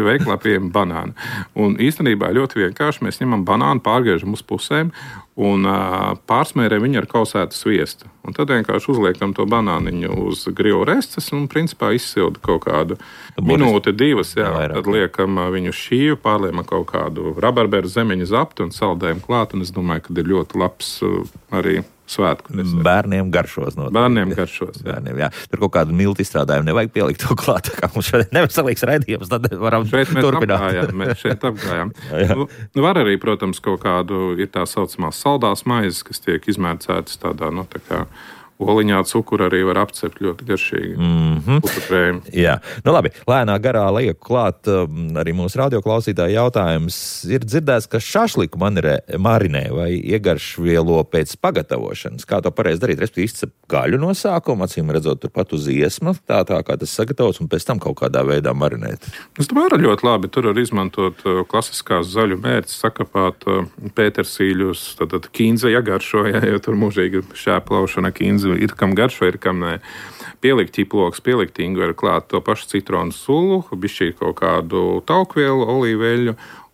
veiklā pieejama banāna. Un īstenībā ļoti vienkārši mēs ņemam banānu, pārgriežam uz pusēm un pārsmērējam viņu ar kausētu sviestu. Un tad vienkārši uzliekam to banāniņu uz grilu restes un principā izsilda kaut kādu minūti, 2, tad liekam viņu šīvu, pārliekam kaut kādu rabarberu zemeņu zaptu un saldējam klāt, un es domāju, ka ir ļoti labs arī svētku. Bērniem garšos. Bērniem garšos, jā. Tur kaut kādu miltu izstrādājumu nevajag pielikt to klāt, kā mums šodien neveselīgs raidījums, tad varam turpināt. Mēs šeit apgājām. Var arī, protams, kaut kādu ir tā saucamās saldās maizes, kas tiek izmērcētas tādā, tā kā oliņā cukuru arī var apcept ļoti garšīgi. Jā, labi, lēnā garā lieku klāt arī mūsu radioklausītāju jautājums. Ir dzirdēts, ka šašliku marinē vai iegaršvielo pēc pagatavošanas. Kā to pareizi darīt? Respektīvi izcep gaļu no sākuma, acīm redzot turpat uz iesma, tā kā tas sagatavots, un pēc tam kaut kādā veidā marinēt. Es domāju, arī ļoti labi. Tur var izmantot klasiskās zaļu mērķis, sakapāt pētersīļus, tad kīnze iegaršo, jo tur mūžīgi šēplaušana kīnze ir kam garšo, ir kam nē. Pielikt ķiploks, pielikt ingveru klāt, to pašu citronu sulu, bišķīt kaut kādu taukvielu, olīveļu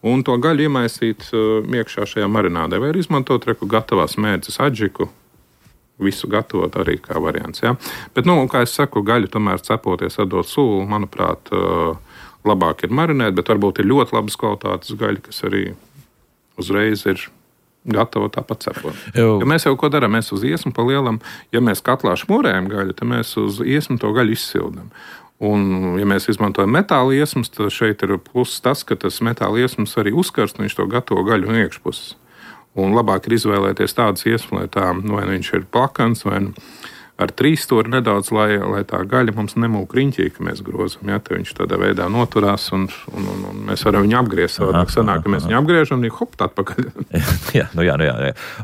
un to gaļu iemaisīt iekšā šajā marinādē. Vai izmantot gatavās mērces adžiku, visu gatavot arī kā variants. Ja? Bet, kā es saku, gaļu tomēr cepoties atdot sulu, manuprāt, labāk ir marinēt, bet varbūt ir ļoti labas kvalitātes gaļa, kas arī uzreiz ir gatava tāpat cepot. Ja mēs jau ko darām, mēs uz iesmu pa lielam, ja mēs katlā šmurējam gaļu, tad mēs uz iesmu to gaļu izsildam. Un, ja mēs izmantojam metāla iesmas, tad šeit ir pluss tas, ka tas metāla iesmas arī uzkarst, un viņš to gatavo gaļu no iekšpuses. Un labāk ir izvēlēties tādas iesmas, lai tā, vai viņš ir plakans, vai ar 3 stūri nedaudz, lai tā gaļa mums nemūk riņķī, ka mēs grozam. Ja, viņš tādā veidā noturās, un mēs varam viņu apgriezt. Sanāk, ka mēs viņu apgriežam, un hop, tā atpakaļ. jā.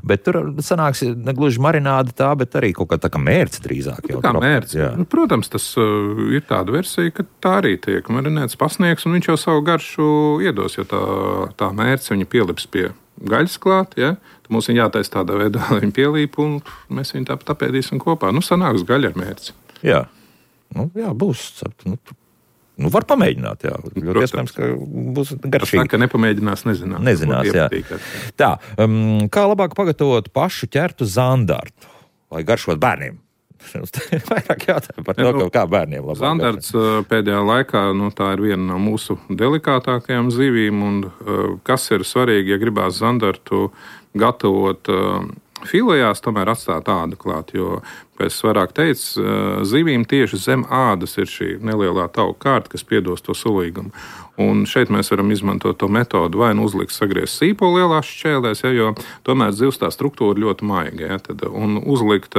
Bet tur sanāks negluži marināda tā, bet arī kaut kā tā kā mērce drīzāk. Kā mērce. Protams, tas ir tāda versija, ka tā arī tiek marinēts pasniegs, un viņš jau savu garšu iedos, jo tā mērce viņa pielips pie gaļas klāt, ja? Mums viņa jātaisa tādā veidā, lai viņa pielīp, un mēs viņu tāpat apēdīsim kopā. Sanāks gaļa ar mērci. Jā, būs. Var pamēģināt, jā. Ļoti iespējams, ka būs garšīgi. Tas ka nepamēģinās, nezinās. Jā. Tā, kā labāk pagatavot pašu ķertu zandartu, lai garšot bērniem? Vairāk jautājumu par to, kā bērniem labāk. Zandarts pēdējā laikā, tā ir viena no mūsu delikātākajām zivīm, un kas ir svarīgi, ja gribās zandartu gatavot filējās, tomēr atstāt ādu klāt, jo, kā es vairāk teicu, zivīm tieši zem ādas ir šī nelielā tauka kārta, kas piedos to sulīgumu. Un šeit mēs varam izmantot to metodu vai uzlikt sagriezt sīpolu lielās šķēlēs, jo tomēr zivs tā struktūra ļoti maiga. Un uzlikt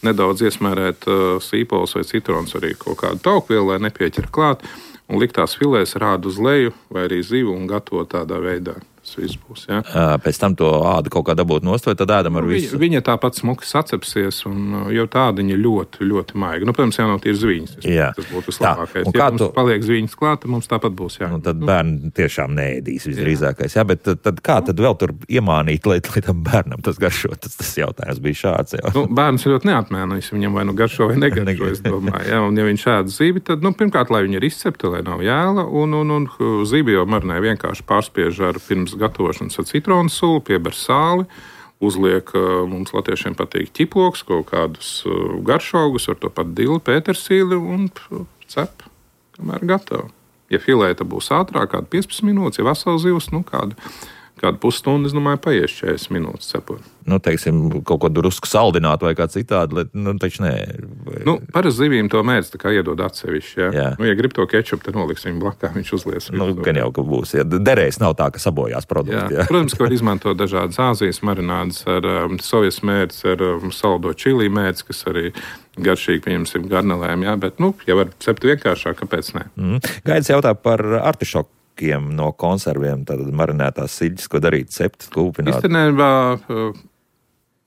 nedaudz iesmērēt sīpols vai citrons arī kaut kādu taukvielu, lai nepieķer klāt, un likt tās filēs rādu uz leju vai arī zivu un gatavot tādā veidā. Tas viss būs. Ja? Pēc tam to ādu kaut kā dabūt nost, vai tad ēdam ar visu? Viņa tāpat smuki sacepsies, un jau tāda viņa ļoti, ļoti maiga. Protams, jau nav tīri zviņas. Tas būtu vislabākais. Ja mums paliek zviņas klāt, tad mums tāpat būs. Jā. Tad bērni tiešām neēdīs visdrīzākais. Jā, bet tad kā tad vēl tur iemānīt, lai tam bērnam tas garšo? Tas jautājums bija šāds. Bērns ir ļoti neapmēnojis. Viņam vai garšo vai negaršo, es domāju. Jā, un ja viņš ēd zivi, tad, pirmkārt, lai viņa ir izcepta, lai nav jēla, un zivi jau marinē vienkārši pārspiež ar pirms gatavošanas ar citronu sulu, pieber sāli, uzliek, mums latviešiem patīk ķiploks, kaut kādus garšaugus, ar to pat dili, pētersīli un cep, kamēr gatava. Ja filēta būs ātrāk, kādu 15 minūtes, ja vesels zivs, kādu pusstundu, es domāju, paies 40 minūtes cepot. Nu, teiksim, kaut ko drusku saldināt vai kā citādi, taču nē. Parasti zivīm to mērķi tā kā iedod atsevišķi, jā. Ja grib to kečupu, tad noliks viņu blakā, viņš uzlies. Gan jau, ka būs, ja derēs nav tā, ka sabojās produkti. Jā. Protams, ka var izmantot dažādas Āzijas marinādes ar sojas mērķis, ar saldo čili mērķis, kas arī garšīgi, pieņemsim, garnelēm, jā, bet, ja var cept vienkāršāk, kāpēc ne? Gaidis jautā par artišokiem no konserviem, tad marinētās siļķis, ko darīt, cept, kūpināt. Īstenībā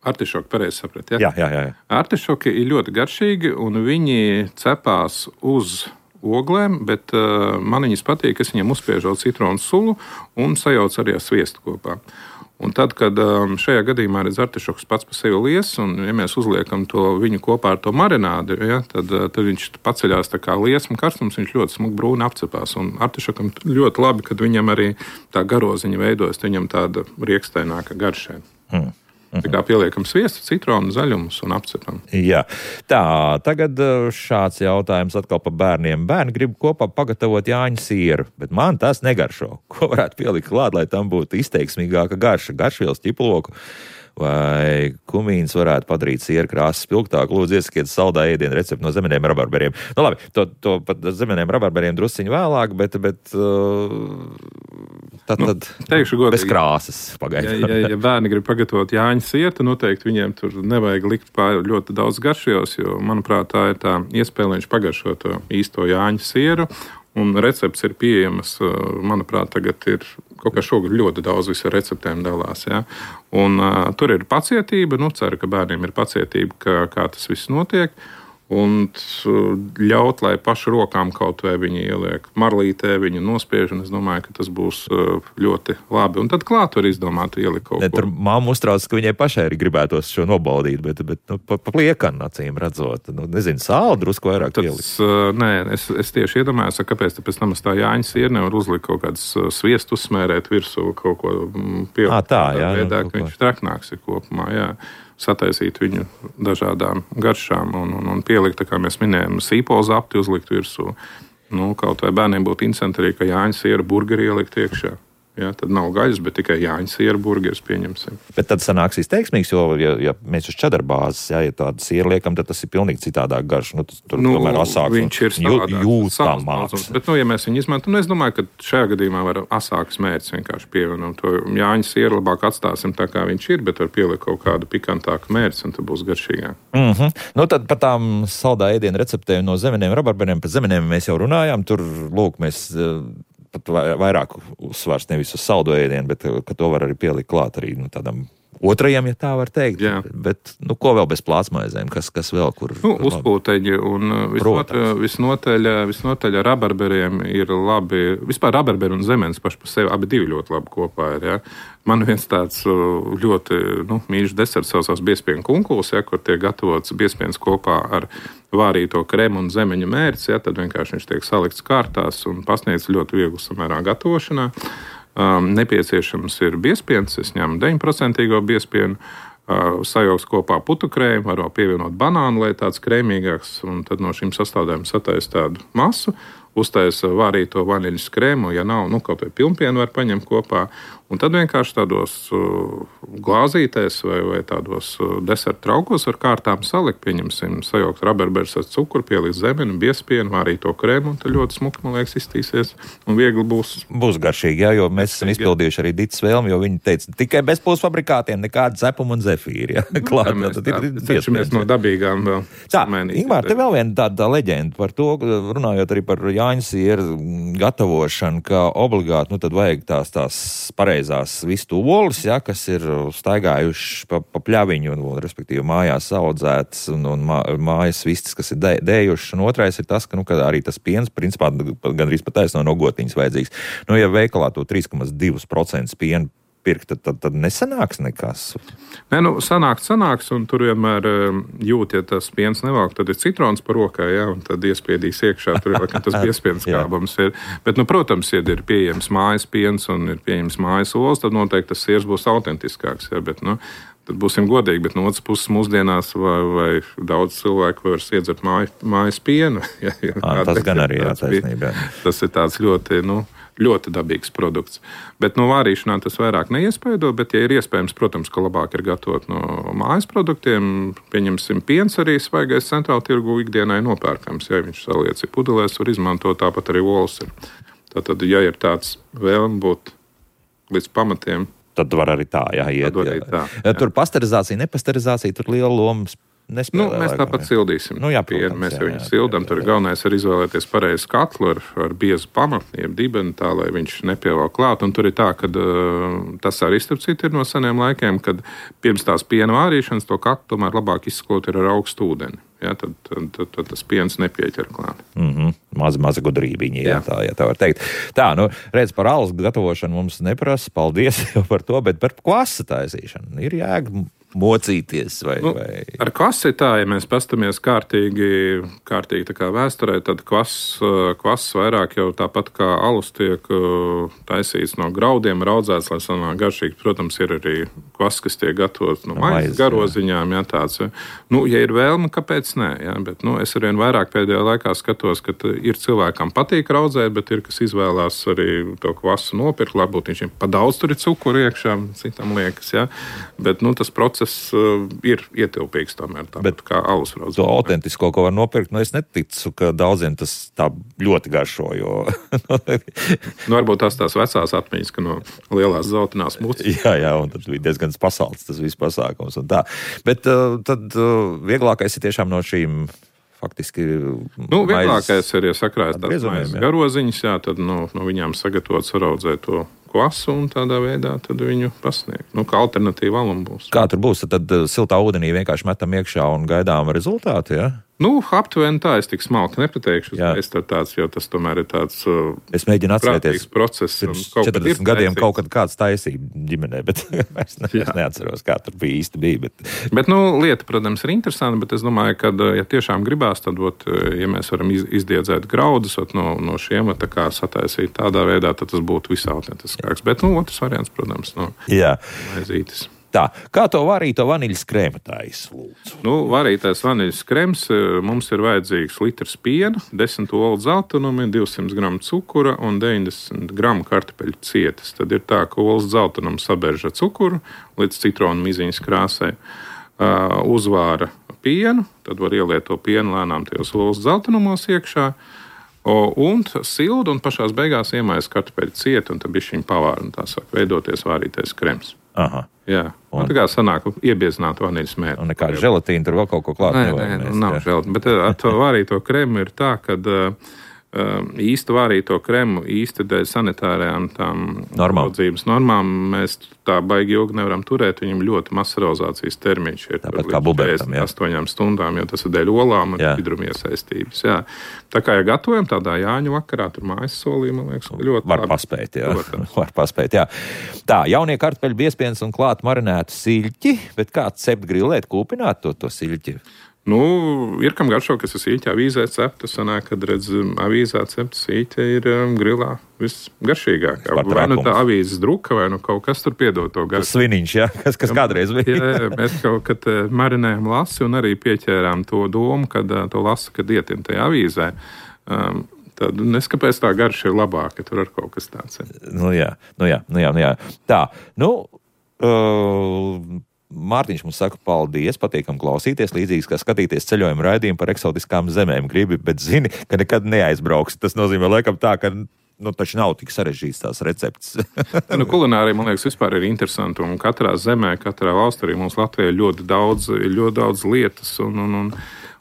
artišoki, pareizi saprat, jā? Jā. Artišoki ir ļoti garšīgi, un viņi cepās uz oglēm, bet man viņas patīk, es viņiem uzspiežu citronu sulu un sajaucu arī ar sviestu kopā. Un tad, kad šajā gadījumā redz artišoks pats par sevi lies, un ja mēs uzliekam viņu kopā ar to marinādi, ja, tad viņš paceļās tā kā liesma karstums, viņš ļoti smuk brūni apcepās. Un artišokam ļoti labi, kad viņam arī tā garoziņa veidojas, viņam tāda riekstaināka garšē. Tā kā pieliekam sviestu, citronu, zaļumus un apcepam. Jā. Tā, tagad šāds jautājums atkal par bērniem. Bērni grib kopā pagatavot Jāņu sieru, bet man tas negaršo. Ko varētu pielikt klāt, lai tam būtu izteiksmīgāka garša? Garšvielas ķiploku vai kumīns varētu padarīt sieru krāsas spilgtāku? Lūdzu, iesakiet saldā ēdienu recepti no zemeniem rabarberiem. Nu labi, to pat zemeniem rabarberiem drusciņu vēlāk, bet tad teikšu godīgi, bez krāsas pagaidām. Ja bērni grib pagatavot Jāņu sieru, tad noteikti viņiem tur nevajag likt ļoti daudz garšvielas, jo, manuprāt, tā ir tā iespēja, lai viņš pagaršo to īsto Jāņu sieru. Un recepts ir pieejamas, manuprāt, tagad ir kaut kā šogad ļoti daudz visu receptēm dalās. Ja? Un tur ir pacietība, ceru, ka bērniem ir pacietība, kā tas viss notiek. Un ļaut, lai paši rokām kaut vai viņi ieliek marlītē, viņu nospiež, un es domāju, ka tas būs ļoti labi. Un tad klāt var izdomāt ielikt kaut ko. Tur mamma uztrauc, ka viņai pašai arī gribētos šo nobaudīt, bet pa pliekanu acīm redzot. Nezinu, sāli drusku vairāk ielikt. Nē, es tieši iedomājos, kāpēc tāpēc tam tā Jāņu sieru nevar uzlikt kaut kādas sviestu uzsmērēt virsū, kaut ko pielikt. Tā, jā. Veidā, ka viņš traknāks ir kopumā, jā. Sataisīt viņu dažādām garšām un pielikt, tā kā mēs minējam, sīpola zapti uzlikt virsū. Kaut vai bērniem būtu interesanti arī, ka Jāņu siera burgeri ielikt iekšā. Ja, tad nav gaļas, bet tikai Jāņu siera burgeris pieņemsim. Bet tad sanāks izteiksmīgs, jo, ja mēs uz čedara bāzes, ja tādu sieru liekam, tad tas ir pilnīgi citādāk garš. Tur tomēr asāks viņš ir jūtamāks. Bet, ja mēs viņu izmantojam, es domāju, ka šajā gadījumā var asāks mērķis vienkārši pievienot. To Jāņu sieru labāk atstāsim tā, kā viņš ir, bet var pielikt kaut kādu pikantāku mērķi, un tad būs garšīgāk. Tad par tām saldā ēdienu receptēm no zemeniem rabarberiem, par zemeniem mēs jau runājām. Tur, lūk, mēs pat vairāk uzsvars nevis uz saldo ēdienu, bet ka to var arī pielikt klāt arī tādam otrajam, ja tā var teikt. Jā. Bet ko vēl bez plātsmaizēm? Kas vēl, kur? Uzpūteņi un visnotaļ rabarberiem ir labi. Vispār rabarberi un zemenes paši par sevi abi divi ļoti labi kopā ir. Ja? Man viens tāds ļoti mīļš deserts saucās biespienu kunkuls, ja, kur tiek gatavots biespiens kopā ar vārīto kremu un zemeņu mērci. Ja, tad vienkārši viņš tiek salikts kārtās un pasniedz ļoti vieglu samērā gatavošanā. Nepieciešams ir biespiens, es ņemu 9% biespienu, sajauks kopā putu krēmu, var pievienot banānu, lai tāds krēmīgāks, un tad no šīm sastāvdaļām sataisa tādu masu, uztaisa vārīto vaniļas krēmu, ja nav, kaut vai pilnpienu var paņemt kopā, un tad vienkārši tādos glāzītēs vai tādos deserta traukos ar kārtām salikt, pieņemsim, sajaukt rabarberus ar cukuru, pielikt zemeni, biespienu, vārīto krēmu, un tad ļoti smuki, man liekas, iztīsies, un viegli būs. Būs garšīgi, jā, jo mēs esam izpildījuši arī Ditas vēlmi, jo viņi teica, tikai bez pulsfabrikātiem, nekāda cepuma un zefīri, jā. Klāt, mēs no dabīgām vēl. Tā, Ingmār, te vēl viena tāda leģenda par to, runājot arī par Jāņu sieru gatavošanu, ka obligāti, tad vajag tās pareizās vistu olas, ja, kas ir staigājuši pa pļaviņu, respektīvi mājās audzētas un mājas vistas, kas ir dējušas, un otrais ir tas, ka, ka arī tas piens, principā, gandrīz pat taisno no gotiņas vajadzīgs. Ja veikalā to 3,2% pienu pirkt, tad nesanāks nekas. Nē, sanāks, un tur vienmēr jūt, ja tas piens nevalk, tad ir citrons par rokai, ja, un tad iespiedīs iekšā, tur jau, ka tas biespiens kābams ir. Bet, protams, ja ir pieejams mājas piens un ir pieejams mājas olas, tad noteikti tas siers būs autentiskāks, ja, bet, tad būsim godīgi, bet no otras puses mūsdienās vai daudz cilvēku var iedzert mājas pienu. Ja, tas gan arī, jā, taisnība. Tas ir tāds ļoti, ļoti dabīgs produkts. Bet no vārīšanā tas vairāk neiespaido, bet, ja ir iespējams, protams, ka labāk ir gatavot no mājas produktiem, pieņemsim piens arī svaigais centrāla tirgu ikdienai nopērkams. Ja viņš saliec ir pudelēs, var izmantot, tāpat arī olas ir. Tātad, ja ir tāds vēlme būt līdz pamatiem, tad var arī tā, iet. Tur pasterizācija, nepasterizācija, tur liela loma nespēlē. Mēs tāpat sildīsim. Protams, mēs jau viņu sildam. Tur galvenais ir izvēlēties pareizu katlu ar biezu pamatu, jeb dibeni, tā, lai viņš nepievēl klāt. Un tur ir tā, ka tas arī starp citu ir no seniem laikiem, kad pirms tās piena vārīšanas to katlu tomēr labāk izsklot ir ar augstu ūdeni. Ja, tad tas piens nepieķer klāt. Maza gudrībiņa, tā var teikt. Tā, redz, par alus gatavošanu mums neprasa, paldies jau par to, bet par kvasa taisīšanu ir jēga mocīties vai... Ar kvasi tā, ja mēs pastamies kārtīgi tā kā vēsturē, tad kvass vairāk jau tāpat kā alus tiek taisīts no graudiem, raudzēts, lai sanāk garšīgi. Protams, ir arī kvass, kas tiek gatavots no maizes garoziņām, tāds. Ja ir vēlme, kāpēc nē, bet es arvien vairāk pēdējā laikā skatos, ka ir cilvēkam patīk raudzēt, bet ir, kas izvēlās arī to kvasu nopirkt, varbūt viņš pa daudz tur ir cukuru iekšā, citam liekas, bet tas process ir ietilpīgs tomēr, tāpat kā alus raudzē. To autentisko, ko var nopirkt, es neticu, ka daudziem tas tā ļoti garšo, jo... varbūt tās vecās atmiņas, ka no lielās zeltainās mucas. Jā, un tad bija diezgan pasalts tas viss pasākums un tā. Bet tad vieglākais ir tiešām no šīm faktiski... Vieglākais ir, ja sakrājas tās maizes garoziņas, tad no viņām sagatavot saraudzēt to kvasu un tādā veidā tad viņu pasniegt. Kā alternatīva alum būs. Kā tur būs? Tad siltā ūdenī vienkārši metam iekšā un gaidām rezultātu, ja? Aptuveni tā, es tik smalki nepateikšu. Jo tas tomēr ir tāds es mēģinu atcerēties process. Pirms 40 gadiem kaut kad kāds taisīja ģimenē, bet es neatceros, kā tur īsti bija. Bet lieta, protams, ir interesanta, bet es domāju, ka, ja tiešām gribās, tad, ja mēs varam izdiedzēt graudus no šiem, tā kā sataisīt tādā veidā, tad tas būtu visautentiskāks. Bet, otrs variants, protams, maizītis. Tā, kā to varīto vaniļas krēmu taisa, lūdzu? Varītais vaniļas krems mums ir vajadzīgs litrs piena, 10 olu dzeltenumi, 200 gramu cukura un 90 gramu kartupeļu cietas. Tad ir tā, ka olas dzeltenumu sabērž ar cukuru līdz citronu miziņas krāsai. Uzvāra pienu, tad var ieliet to pienu lēnām tajos olas dzeltenumos iekšā. Un sildu un pašās beigās iemais kartupeļu cietu un tad bišķiņ pavāra un tā sāk veidoties vārītais krems. Aha. Jā, tā kā sanāk iebiezināt vaniļas mēru. Un nekāda želatīna tur vēl kaut ko klāt nevajag. Nē, nav želatīna, bet ar to vārīto kremu ir tā, ka īsti vārīto kremu īsti dēļ sanitārajām tām audzības normām mēs tā baigi ilgi nevaram turēt, viņam ļoti mazs rozācijas termiņš ir tāpat kā bubertam, 8 stundām, jo tas ir dēļ olām un hidruma iesaistības. Jā. Tā kā, ja gatavojam tādā Jāņu vakarā, tur mājas solī, man liekas, ļoti var paspēt, var paspēt, jā. Tā, jaunie kartupeļu biezpiens un klāt marinētu siļķi, bet kā cept grillēt, kūpināt to siļķi? Ir kam garšo, kas ir sīķi avīzē cepta, sanāk, kad redz avīzē cepta sīķa ir grilā visgaršīgākā. Vai tā avīzes druka, vai kaut kas tur piedod to garšu. Tas sviniņš, kas kādreiz bija. Jā, mēs kaut kad marinējam lasi un arī pieķērām to domu, kad to lasi, kad ietin tajā avīzē. Tad neskapēc tā garša ir labāka, tur ar kaut kas tāds. Jā. Tā, Mārtiņš mums saka paldies, patīkam klausīties, līdzīgs kā skatīties ceļojumu raidījumu par eksotiskām zemēm gribi, bet zini, ka nekad neaizbrauks. Tas nozīmē laikam tā, ka taču nav tik sarežģīts tās receptes. Kulinārija, man liekas, vispār ir interesanti, un katrā zemē, katrā valstī arī mums Latvijā ir ļoti daudz lietas,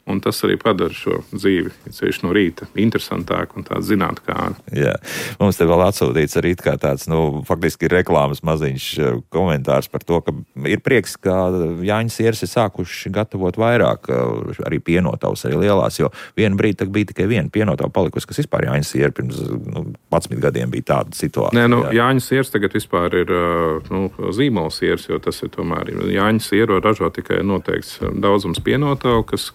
un tas arī padara šo dzīvi, ceļš no rīta, interesantāk un tāds zinātnākā. Jā, mums te vēl atsūtīts arī kā tāds, faktiski reklāmas maziņš komentārs par to, ka ir prieks, ka Jāņu sieras ir sākuši gatavot vairāk, arī pienotavas, arī lielās, jo vienu brīdi bija tikai viena pienotava palikusi, kas vispār Jāņu siera pirms 11 gadiem bija tāda situācija. Jāņu sieras tagad vispār ir zīmola sieras, jo tas ir tomēr Jāņu sieru ražo tikai noteikts daudzums pienotavu, kas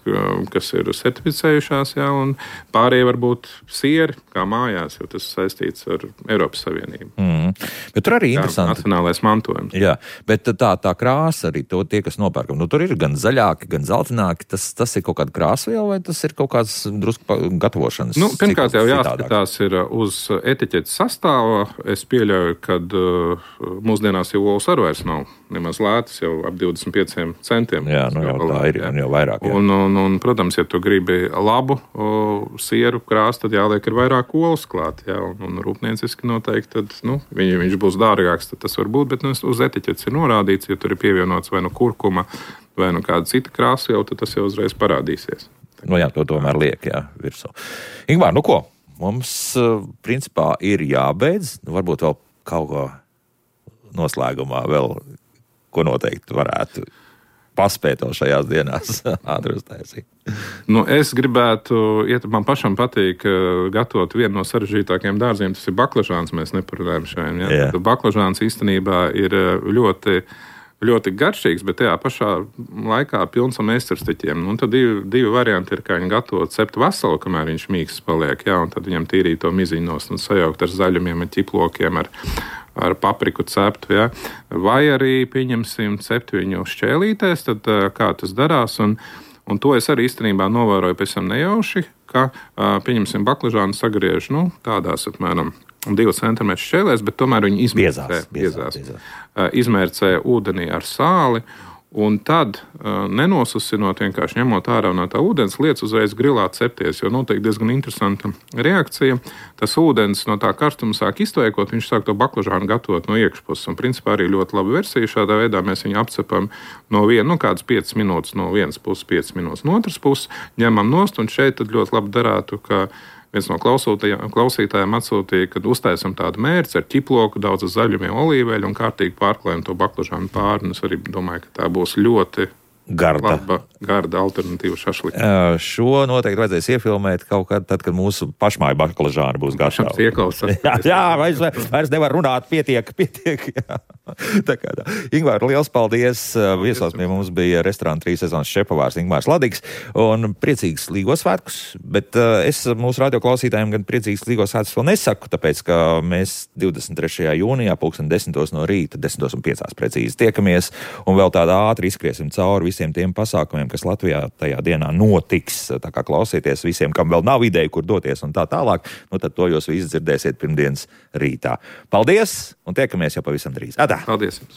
kas ir certificējušās, jā, un pārējie varbūt sieri, kā mājās, jo tas saistīts ar Eiropas Savienību. Bet tur arī interesanti. Nacionālais mantojums. Jā, bet tā krāsa arī to tie, kas nopērkam. Nu, tur ir gan zaļāki, gan zeltaināki. Tas ir kaut kāda krāsviela vai tas ir kaut kāds drusku gatavošanas? Nu, pirmkārt jau jāskatās ir uz etiķetes sastāva. Es pieļauju, ka mūsdienās jau olas arī vairs nav nemaz lētas, jau ap 25 centiem. Jā, nu jau tā ir, un jau vairāk. Jā. Un, protams, ja tu gribi labu sieru krāsu, tad jāliek ir vairāk olas klāt. Jā, un rūpnieciski noteikti, tad, viņš būs dārgāks, tad tas var būt, bet uz etiķetes ir norādīts, ja tur ir pievienots vai kurkuma, vai kāda cita krāsa jau, tad tas jau uzreiz parādīsies. Jā, to tomēr liek, virsū. Ingmār, ko? Mums, principā, ir jābeidz. Varbūt vēl kaut ko noslēgumā vēl, ko noteikti varētu paspēt vēl šajās dienās ātri uztaisīt. Es gribētu, man pašam patīk gatavot vienu no sarežģītākajiem dārziem, tas ir baklažāns, mēs neparunājam šajiem. Ja? Baklažāns īstenībā ir ļoti garšīgs, bet tajā pašā laikā pilns ar meistarstiķiem. Un tad divi varianti ir, kā viņi gatavot ceptu veselu, kamēr viņš mīksts paliek, un tad viņam tīrīt to miziņos un sajaukt ar zaļumiem, ar ķiplokiem, ar papriku ceptu, vai arī pieņemsim cept viņu šķēlītēs, tad kā tas darās, un to es arī īstenībā novēroju pēc tam nejauši, ka pieņemsim baklažānu sagriež, tādās apmēram 2 cm šķēlēs, bet tomēr viņi izmērcē ūdenī ar sāli, un tad, nenosusinot, vienkārši ņemot ārā no tā ūdens, liec uzreiz grilā cepties, jo notiek diezgan interesanta reakcija. Tas ūdens no tā karstuma sāk iztvēkot, viņš sāk to baklažānu gatavot no iekšpuses, un principā arī ļoti laba versija. Šādā veidā mēs viņu apcepam no kādas 5 minūtes no vienas puses, 5 minūtes no otras puses, ņemam nost, un šeit tad ļoti labi darētu, ka viens no klausītājiem atsūtīja, kad uztaisam tādu mērci ar ķiploku, daudz zaļumiem, olīveļu un kārtīgi pārklājam to baklažānu pāri. Es arī domāju, ka tā būs ļoti garda alternatīva šašlikam. Šo noteikti vajadzēs iefilmēt kaut kad, tad, kad mūsu pašmāja baklažāna būs gatava. Vairs nevar runāt, pietiek. Tā. Ingmār, liels paldies. Viesos pie mums bija restorāna 3 sezonas šefpavārs Ingmārs Ladigs. Un priecīgs Līgos svētkus, bet es mūsu radioklausītājiem gan priecīgs Līgos svētkus vēl nesaku, tāpēc, ka mēs 23. jūnijā 10:00 no rīta, 10:05 precīzi tiekamies un vēl tādā ātri izskriesim cauri visiem tiem pasākumiem, kas Latvijā tajā dienā notiks. Tā kā klausieties visiem, kam vēl nav ideja, kur doties un tā tālāk, tad to jūs visi dzirdēsiet pirmdienas rītā. Paldies un tiekamies jau pavisam drīz. Atā! Paldies jums!